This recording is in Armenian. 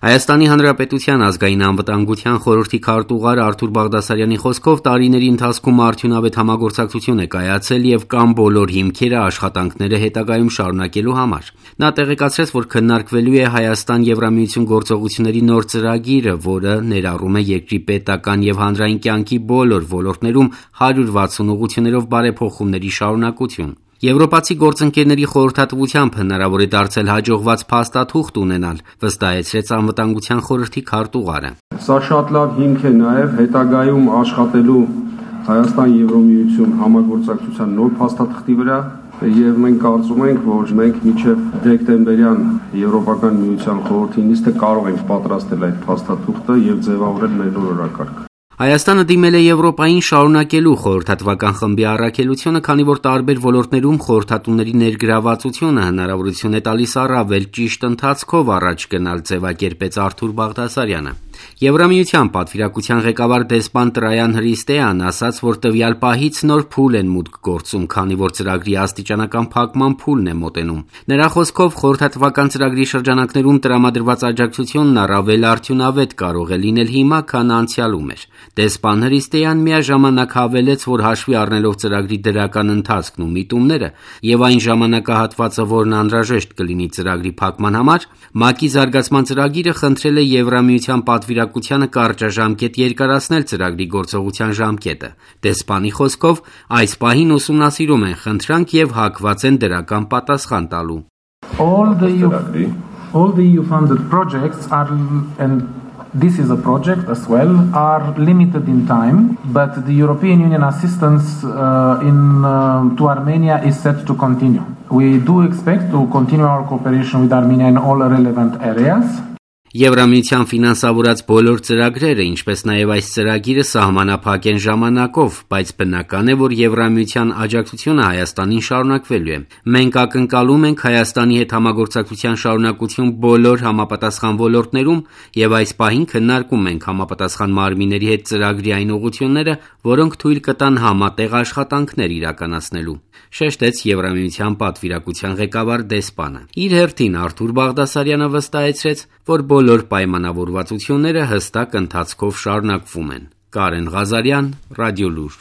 Հայաստանի Հանրապետության ազգային անվտանգության խորհրդի քարտուղար Արթուր Բաղդասարյանի խոսքով տարիների ընթացքում արդյունավետ համագործակցություն է կայացել եւ կան բոլոր հիմքերը աշխատանքները հետագայում շարունակելու համար։ Նա տեղեկացրեց, որ քննարկվելու է Հայաստան-Եվրամիություն գործողությունների նոր ծրագիրը, որը ներառում է երկրի պետական եւ հանրային կյանքի բոլոր ոլորտներում 160 ուղղություններով բարեփոխումների շարունակություն։ Եվրոպացի գործընկերների խորհրդատվությամբ հնարավոր է դարձել հաջողված փաստաթուղթ ունենալ, վստահեցրեց անվտանգության խորհրդի քարտուղարը։ Սա շատ լավ հիմք է նաև հետագայում աշխատելու Հայաստան-Եվրամիություն համագործակցության նոր փաստաթղթի վրա եւ մենք կարծում ենք, որ մենք մինչեւ դեկտեմբերյան Եվրոպական միության խորհրդի նիստը կարող ենք պատրաստել այդ փաստաթուղթը եւ ձևավորել մեր նոր օրակարգը։ Հայաստանը դիմել է Եվրոպային շարունակելու խորհրդատվական խմբի առաքելությունը, քանի որ տարբեր ոլորտներում խորհրդատուների ներգրավվածությունը հնարավորություն է տալիս առավել ճիշտ ընթացքով առաջ գնալ, ձևակերպեց Արթուր Բաղդասարյանը։ Եվրամիության պատվիրակության ղեկավար դեսպան Տրայան Հրիստեան ասաց, որ տվյալ պահից նոր փուլ են մուտք գործում, քանի որ ծրագրի աստիճանական փակման փուլն է մոտենում։ Նրա խոսքով խորհրդատվական ծրագրի շրջանակներում տրամադրված աջակցությունն առավել արդյունավետ կարող է լինել հիմա, քան անցյալում էր։ Դեսպան Հրիստեան միաժամանակ հավելեց, որ հաշվի առնելով ծրագրի դրական ընթացքն ու միտումները եւ այն ժամանակահատվածը, որն անհրաժեշտ կլինի ծրագրի փակման համար, ՄԱԿ-ի զարգացման ծրագիրը խնդրել է Եվրամիության պատվիրակությանը կարճաժամկետ երկարացնել ծրագրի գործողության ժամկետը։ Դեսպանի խոսքով այս պահին ուսումնասիրում են խնդրանք եւ հակված են դրական պատասխան տալու։ All the EU funded projects are and this is a project as well, are limited in time, but the European Union assistance to Armenia is set to continue. We do expect to continue our cooperation with Armenia in all relevant areas. Եվրամիության ֆինանսավորած բոլոր ծրագրերը, ինչպես նաև այս ծրագիրը սահմանափակ են ժամանակով, բայց բնական է, որ Եվրամիության աջակցությունը Հայաստանին շարունակվելու է։ Մենք ակնկալում ենք Հայաստանի հետ համագործակցության շարունակություն բոլոր համապատասխան ոլորտներում եւ այս պահին քննարկում ենք համապատասխան մարմինների հետ ծրագրի այն ուղղությունները, որոնք թույլ կտան համատեղ աշխատանքներ իրականացնելու, շեշտեց Եվրամիության պատվիրակության ղեկավար դեսպանը։ Իր հերթին Արթուր Բաղդասարյանը վստահեցրեց, որ բոլոր պայմանավորվածությունները հստակ ընթացքով շարունակվում են։ Կարեն Ղազարյան, Ռադիոլուր։